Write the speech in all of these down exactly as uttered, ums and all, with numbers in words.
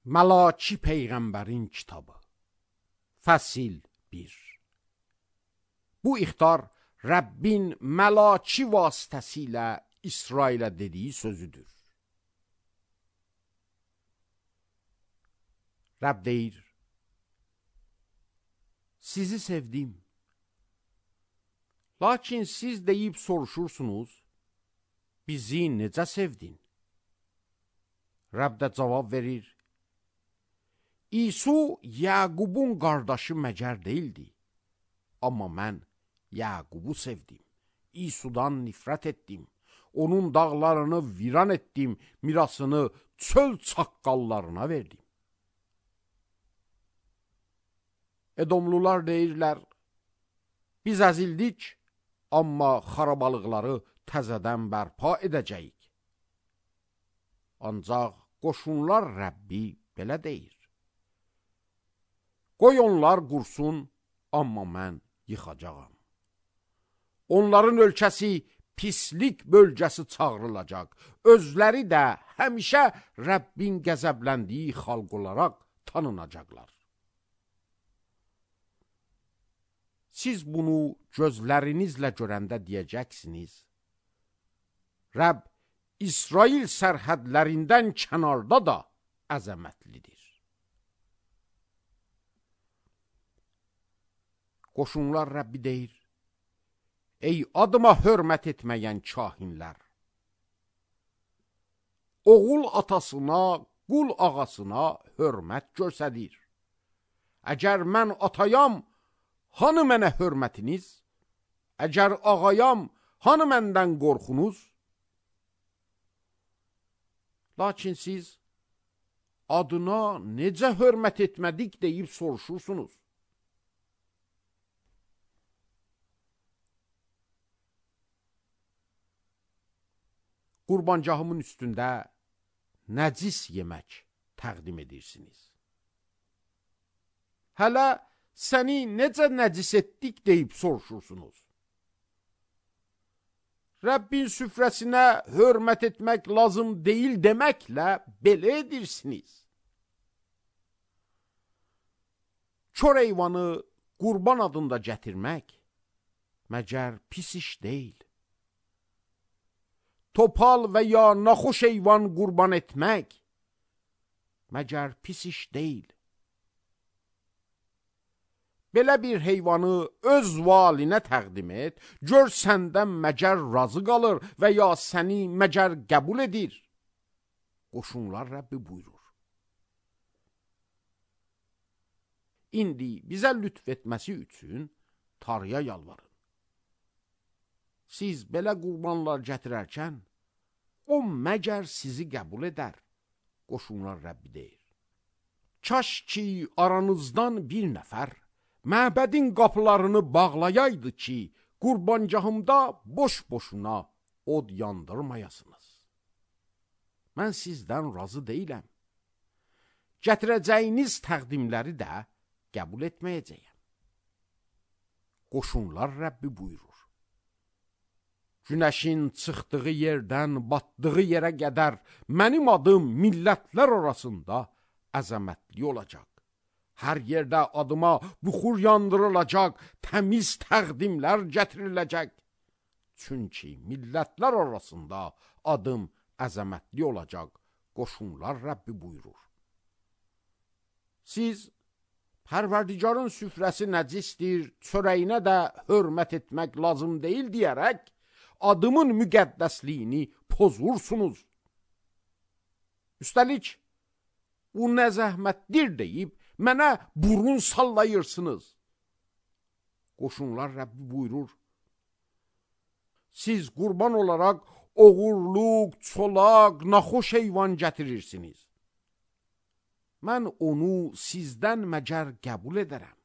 Məlaki Peyğəmbərin kitabı. Fəsil bir. Bu ixtar Rəbbin məlaki vasitəsilə İsrailə dediyi sözüdür. Rəbb deyir: sizi sevdim. Lakin siz deyib soruşursunuz, bizi necə sevdin? Rəbb də cavab verir: İsu Yaqubun qardaşı məgər deyildi. Amma mən Yaqubu sevdim. İsudan nifrət etdim. Onun dağlarını viran etdim. Mirasını çöl çaqqallarına verdim. Edomlular deyirlər: biz əzildik, amma xarabalıqları təzədən bərpa edəcəyik. Ancaq qoşunlar Rəbbi belə deyir: qoy onlar qursun, amma mən yıxacağam. Onların ölkəsi pislik bölgəsi çağırılacaq. Özləri də həmişə Rəbbin qəzəbləndiyi xalq olaraq tanınacaqlar. Siz bunu gözlərinizlə görəndə deyəcəksiniz: Rəbb İsrail sərhədlərindən kənarda da əzəmətlidir. Qoşunlar Rəbbi deyir: ey adıma hörmət etməyən kahinlər! Oğul atasına, qul ağasına hörmət göstərir. Əgər mən atayam, hanı mənə hörmətiniz? Əgər ağayam, hanı məndən qorxunuz? Lakin siz adına necə hörmət etmədik deyib soruşursunuz. Qurbancahımın üstündə nəcis yemək təqdim edirsiniz. Hələ səni necə nəcis etdik deyib soruşursunuz. Rəbbin süfrəsinə hörmət etmək lazım deyil deməklə belə edirsiniz. Kör heyvanı qurban adında gətirmək məgər pis iş deyil. Topal və ya naxoş heyvan qurban etmək məgər pis iş deyil. Belə bir heyvanı öz valinə təqdim et, gör səndən məgər razı qalır və ya səni məgər qəbul edir. Qoşunlar Rəbbi buyurur: İndi bizə lütf etməsi üçün Tanrıya yalvarın. Siz belə qurbanlar gətirərkən, o məgər sizi qəbul edər. Qoşunlar Rəbbi deyir: kaş ki aranızdan bir nəfər məbədin qapılarını bağlayaydı ki, qurbancahımda boş-boşuna od yandırmayasınız. Mən sizdən razı deyiləm. Gətirəcəyiniz təqdimləri də qəbul etməyəcəyəm. Qoşunlar Rəbbi buyurur: günəşin çıxdığı yerdən batdığı yerə qədər mənim adım millətlər arasında əzəmətli olacaq. Hər yerdə adıma buxur yandırılacaq, təmiz təqdimlər gətiriləcək. Çünki millətlər arasında adım əzəmətli olacaq. Qoşunlar Rəbbi buyurur: siz Pərverdigarın süfrəsi nəcisdir, çörəyinə də hörmət etmək lazım deyil deyərək, adımın müqəddəsliyini pozursunuz. Üstəlik, bu nə zəhmətdir deyib, mənə burun sallayırsınız. Qoşunlar Rəbbi buyurur: siz qurban olaraq oğurluq, çolaq, naxoş heyvan gətirirsiniz. Mən onu sizdən məgər qəbul edərəm.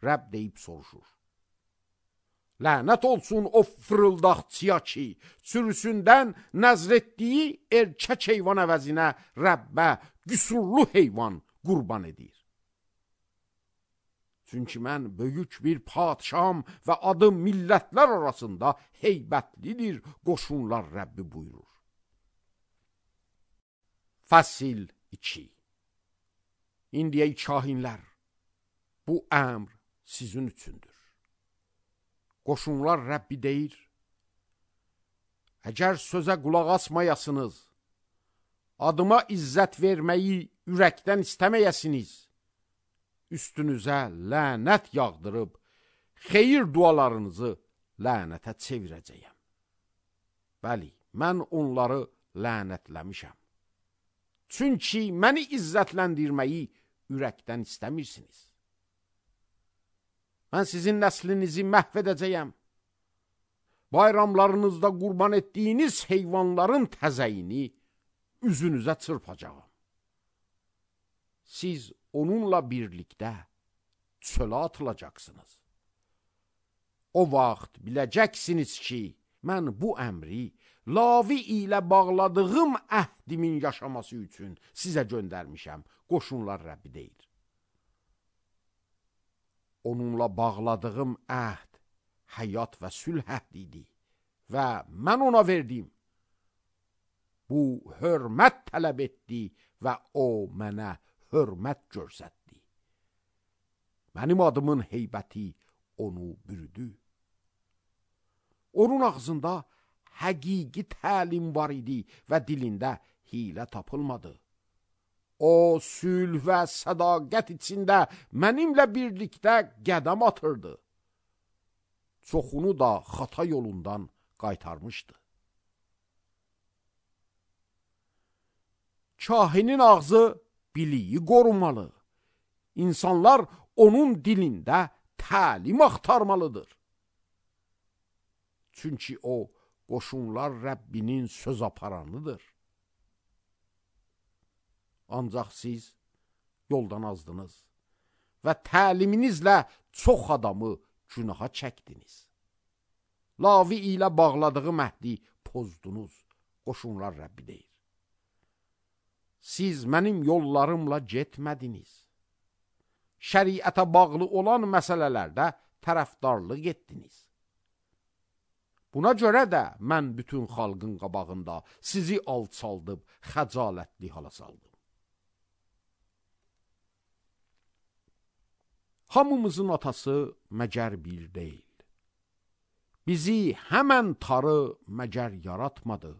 Rəbb deyib soruşur: lənət olsun o fırıldaqçıya ki, sürüsündən nəzr etdiyi erkək heyvan əvəzinə Rəbbə qüsurlu heyvan qurban edir. Çünki mən böyük bir padşaham və adım millətlər arasında heybətlidir. Qoşunlar Rəbbi buyurur. Fəsil iki. İndi ey kahinlər, bu əmr sizin üçündür. Qoşunlar Rəbbi deyir, əgər sözə qulaq asmayasınız, adıma izzət verməyi ürəkdən istəməyəsiniz, üstünüzə lənət yağdırıb, xeyir dualarınızı lənətə çevirəcəyəm. Bəli, mən onları lənətləmişəm. Çünki məni izzətləndirməyi ürəkdən istəmirsiniz. Mən sizin nəslinizi məhv edəcəyəm. Bayramlarınızda qurban etdiyiniz heyvanların təzəyini üzünüzə çırpacağım. Siz onunla birlikdə çölə atılacaqsınız. O vaxt biləcəksiniz ki, mən bu əmri Lavi ilə bağladığım əhdimin yaşaması üçün sizə göndərmişəm. Qoşunlar Rəbbi deyir. Onunla bağladığım əhd həyat və sülh əhdidir və mən ona verdim. Bu hörmət tələb etdi və o mənə hörmət göstərdi. Mənim adımın heybəti onu bürüdü. Onun ağzında həqiqi təlim var idi və dilində hilə tapılmadı. O, sülh və sədaqət içində mənimlə birlikdə qədəm atırdı. Çoxunu da xata yolundan qaytarmışdı. Kahinin ağzı biliyi qorumalı. İnsanlar onun dilində təlim axtarmalıdır. Çünki o, qoşunlar Rəbbinin söz aparanıdır. Ancaq siz yoldan azdınız və təliminizlə çox adamı günaha çəkdiniz. Lavi ilə bağladığı məhdi pozdunuz, qoşunlar Rəbbi deyir. Siz mənim yollarımla getmədiniz. Şəriətə bağlı olan məsələlərdə tərəfdarlıq etdiniz. Buna görə də mən bütün xalqın qabağında sizi alçaldıb, xəcalətli hala saldım. Hamımızın atası məgər bir deyil. Bizi həmən tarı məgər yaratmadı.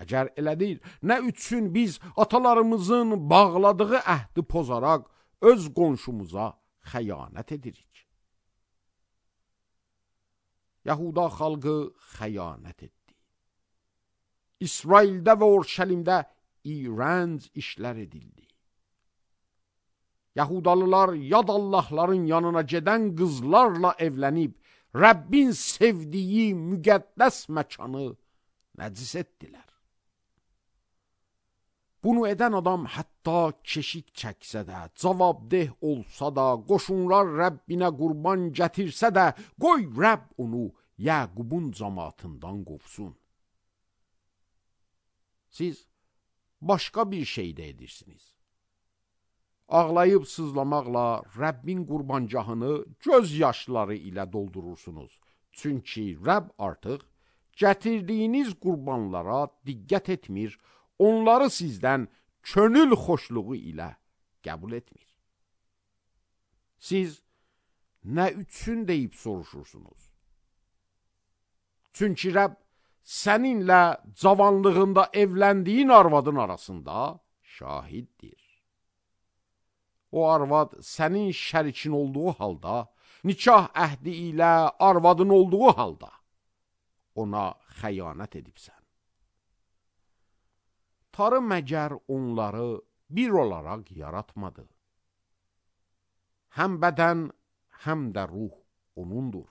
Əgər elədir, nə üçün biz atalarımızın bağladığı əhdi pozaraq öz qonşumuza xəyanət edirik? Yahuda xalqı xəyanət etdi. İsraildə və Orşəlimdə iyrənc işlər edildi. Yahudalılar yad Allahların yanına gedən qızlarla evlənib, Rəbbin sevdiyi müqəddəs məkanı nəcis etdilər. Bunu edən adam hətta keşik çəksə də, cavabdeh olsa da, qoşunlar Rəbbinə qurban gətirsə də, qoy Rəbb onu Yəqubun cəmaatından qovsun. Siz başqa bir şey də edirsiniz. Ağlayıb sızlamaqla Rəbbin qurbancahını göz yaşları ilə doldurursunuz. Çünki Rəbb artıq gətirdiyiniz qurbanlara diqqət etmir, onları sizdən könül xoşluğu ilə qəbul etmir. Siz nə üçün deyib soruşursunuz? Çünki Rəbb səninlə cavanlığında evləndiyin arvadın arasında şahiddir. O arvad sənin şərikin olduğu halda, nikah əhdi ilə arvadın olduğu halda ona xəyanət edibsən. Tarı məgər onları bir olaraq yaratmadı. Həm bədən, həm də ruh onundur.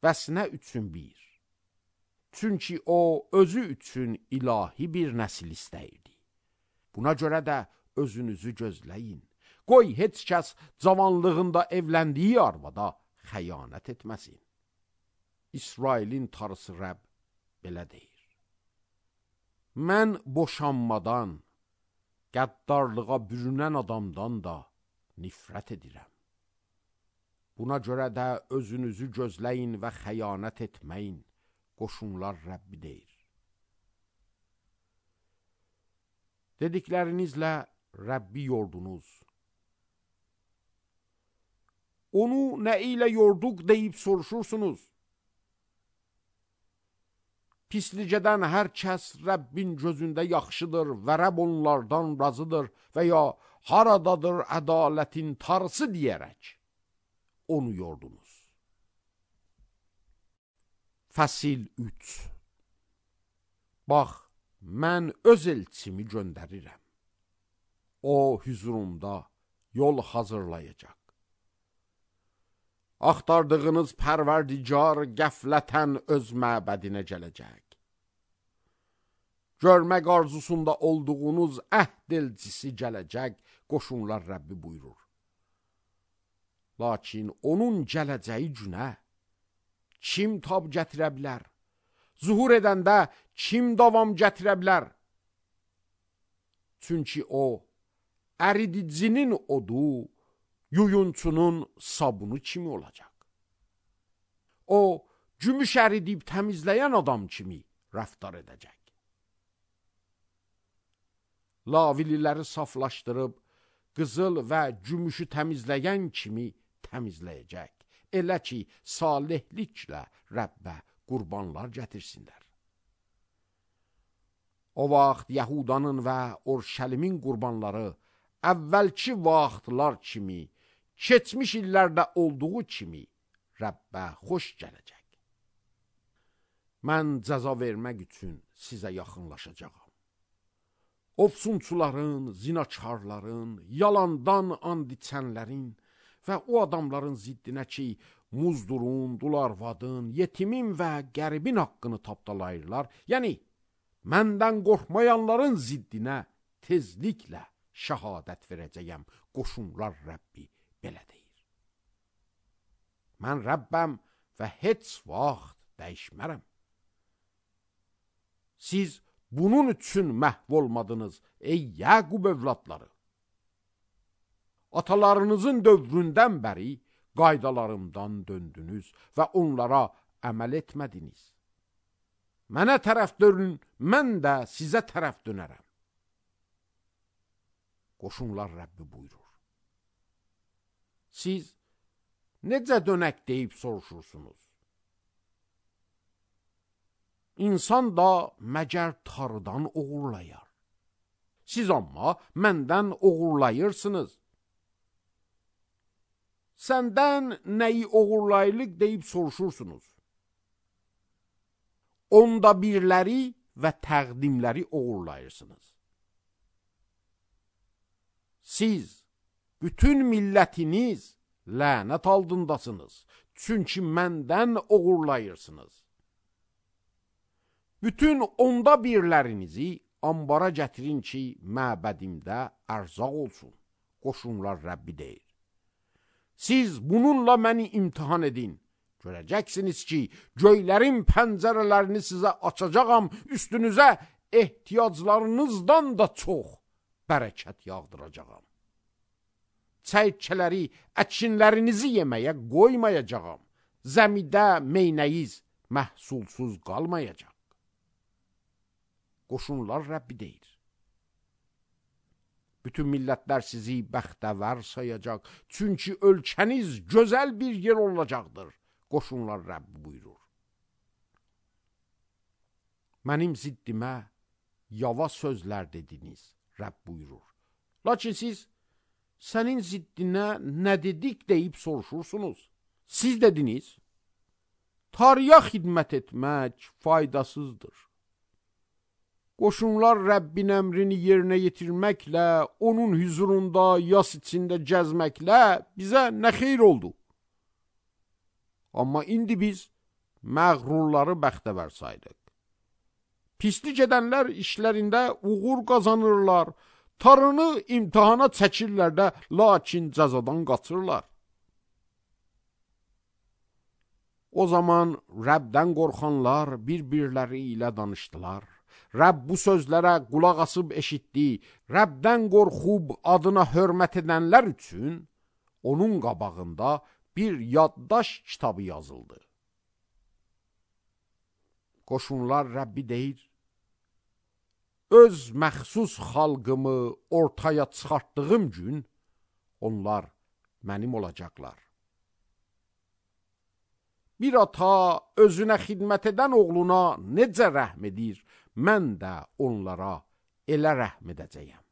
Bəs nə üçün bir? Çünki o özü üçün ilahi bir nəsil istəyirdi. Buna görə də özünüzü gözləyin. Qoy heç kəs cavanlığında evləndiyi arvada xəyanət etməsin. İsrailin tarısı Rəbb belə deyir. Mən boşanmadan, qəddarlığa bürünən adamdan da nifrət edirəm. Buna görə də özünüzü gözləyin və xəyanət etməyin, qoşunlar Rəbbi deyir. Dediklərinizlə Rəbbi yordunuz. Onu nə ilə yorduq deyib soruşursunuz. Pislicədən hər kəs Rəbbin gözündə yaxşıdır və Rəbb onlardan razıdır və ya haradadır ədalətin tarısı deyərək onu yordunuz. Fəsil üç. Bax, mən öz elçimi göndərirəm. O hüzurumda yol hazırlayacaq. Axtardığınız pərverdigar qəflətən öz məbədinə gələcək. Görmək arzusunda olduğunuz əhd elçisi gələcək, qoşunlar Rəbbi buyurur. Lakin onun gələcəyi günə kim tab gətirə bilər? Zuhur edəndə kim davam gətirə bilər? Çünki o, əridicinin odu, yuyunçunun sabunu kimi olacaq. O, gümüş əridib təmizləyən adam kimi rəftar edəcək. Lavililəri saflaşdırıb, qızıl və gümüşü təmizləyən kimi təmizləyəcək. Elə ki, salihliklə Rəbbə qurbanlar gətirsinlər. O vaxt Yahudanın və Orşəlimin qurbanları əvvəlki vaxtlar kimi, keçmiş illərdə olduğu kimi Rəbbə xoş gələcək. Mən cəza vermək üçün sizə yaxınlaşacağam. Ofsunçuların, zinakarların, yalandan and içənlərin və o adamların ziddinə ki, muzdurun, dularvadın, yetimin və qəribin haqqını tapdalayırlar, yəni məndən qorxmayanların ziddinə tezliklə şəhadət verəcəyəm, qoşunlar Rəbbi belə deyir. Mən Rəbbəm və heç vaxt dəyişmərəm. Siz bunun üçün məhv olmadınız, ey Yaqub övladları. Atalarınızın dövründən bəri qaydalarımdan döndünüz və onlara əməl etmədiniz. Mənə tərəf dönün, mən də sizə tərəf dönərəm. Qoşunlar Rəbbi buyurur. Siz necə dönək deyib soruşursunuz? İnsan da məgər tarıdan oğurlayar. Siz amma məndən oğurlayırsınız. Səndən nəyi oğurlayırıq deyib soruşursunuz. Onda birləri və təqdimləri oğurlayırsınız. Siz, bütün millətiniz lənət altındasınız. Çünki məndən oğurlayırsınız. Bütün onda birlərinizi ambara gətirin ki, məbədimdə ərzaq olsun. Qoşunlar Rəbbi deyir. Siz bununla məni imtihan edin. Görəcəksiniz ki, göylərin pəncərələrini sizə açacağam, üstünüzə ehtiyaclarınızdan da çox bərəkət yağdıracağam. Çəyirkələri, əkinlərinizi yeməyə qoymayacağam. Zəmidə meynəyiz məhsulsuz qalmayacaq. Qoşunlar Rəbbi deyir. Bütün millətlər sizi bəxtəvər sayacaq. Çünki ölkəniz gözəl bir yer olacaqdır. Qoşunlar Rəbbi buyurur. Mənim ziddimə yava sözlər dediniz, Rəbb buyurur. Lakin siz, sənin ziddinə nə dedik deyib soruşursunuz. Siz dediniz, Tanrıya xidmət etmək faydasızdır. Qoşunlar Rəbbin əmrini yerinə yetirməklə, onun hüzurunda yas içində gəzməklə bizə nə xeyr oldu? Amma indi biz məğrurları bəxtəvər saydıq. Pislik edənlər işlərində uğur qazanırlar, tarını imtihana çəkirlər də, lakin cəzadan qaçırlar. O zaman Rəbdən qorxanlar bir-birləri ilə danışdılar. Rəbb bu sözlərə qulaq asıb eşitdi. Rəbdən qorxub adına hörmət edənlər üçün onun qabağında bir yaddaş kitabı yazıldı. Qoşunlar Rəbbi deyir, öz məxsus xalqımı ortaya çıxartdığım gün, onlar mənim olacaqlar. Bir ata özünə xidmət edən oğluna necə rəhm edir, mən də onlara elə rəhm edəcəyəm.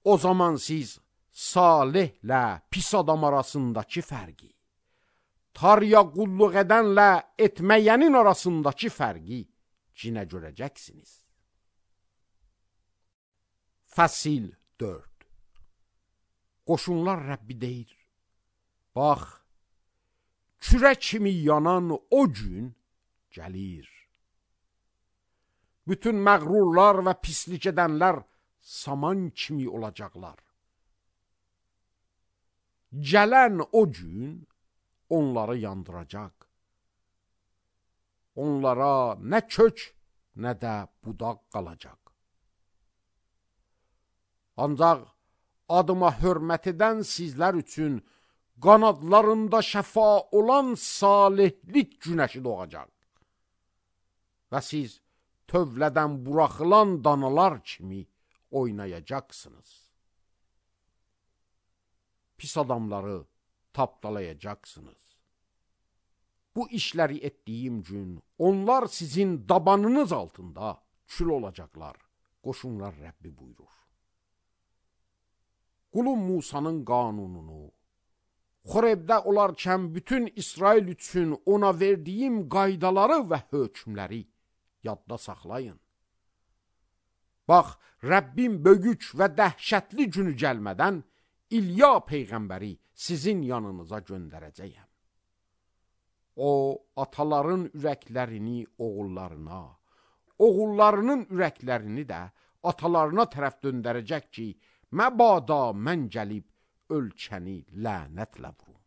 O zaman siz salihlə pis adam arasındakı fərqi, tarya qulluq edənlə etməyənin arasındakı fərqi cinə görəcəksiniz. Fəsil dörd. Qoşunlar Rəbbi deyir, bax, kürə kimi yanan o gün gəlir. Bütün məğrurlar və pislik edənlər saman kimi olacaqlar. Gələn o gün onları yandıracaq. Onlara nə kök, nə də budaq qalacaq. Ancaq adıma hörmət edən sizlər üçün qanadlarında şəfa olan salihlik günəşi doğacaq. Və siz tövlədən buraxılan danalar kimi oynayacaqsınız. Pis adamları tapdalayacaqsınız. Bu işləri etdiyim gün onlar sizin dabanınız altında kül olacaqlar. Qoşunlar Rəbbi buyurur. Qulum Musanın qanununu, Xorebdə olarkən bütün İsrail üçün ona verdiyim qaydaları və hökmləri yadda saxlayın. Bax, Rəbbim böyük və dəhşətli günü gəlmədən İlya peyğəmbəri sizin yanınıza göndərəcəyəm. O, ataların ürəklərini oğullarına, oğullarının ürəklərini də atalarına tərəf döndərəcək ki, məbada mən gəlib ölkəni lənətlə vurum.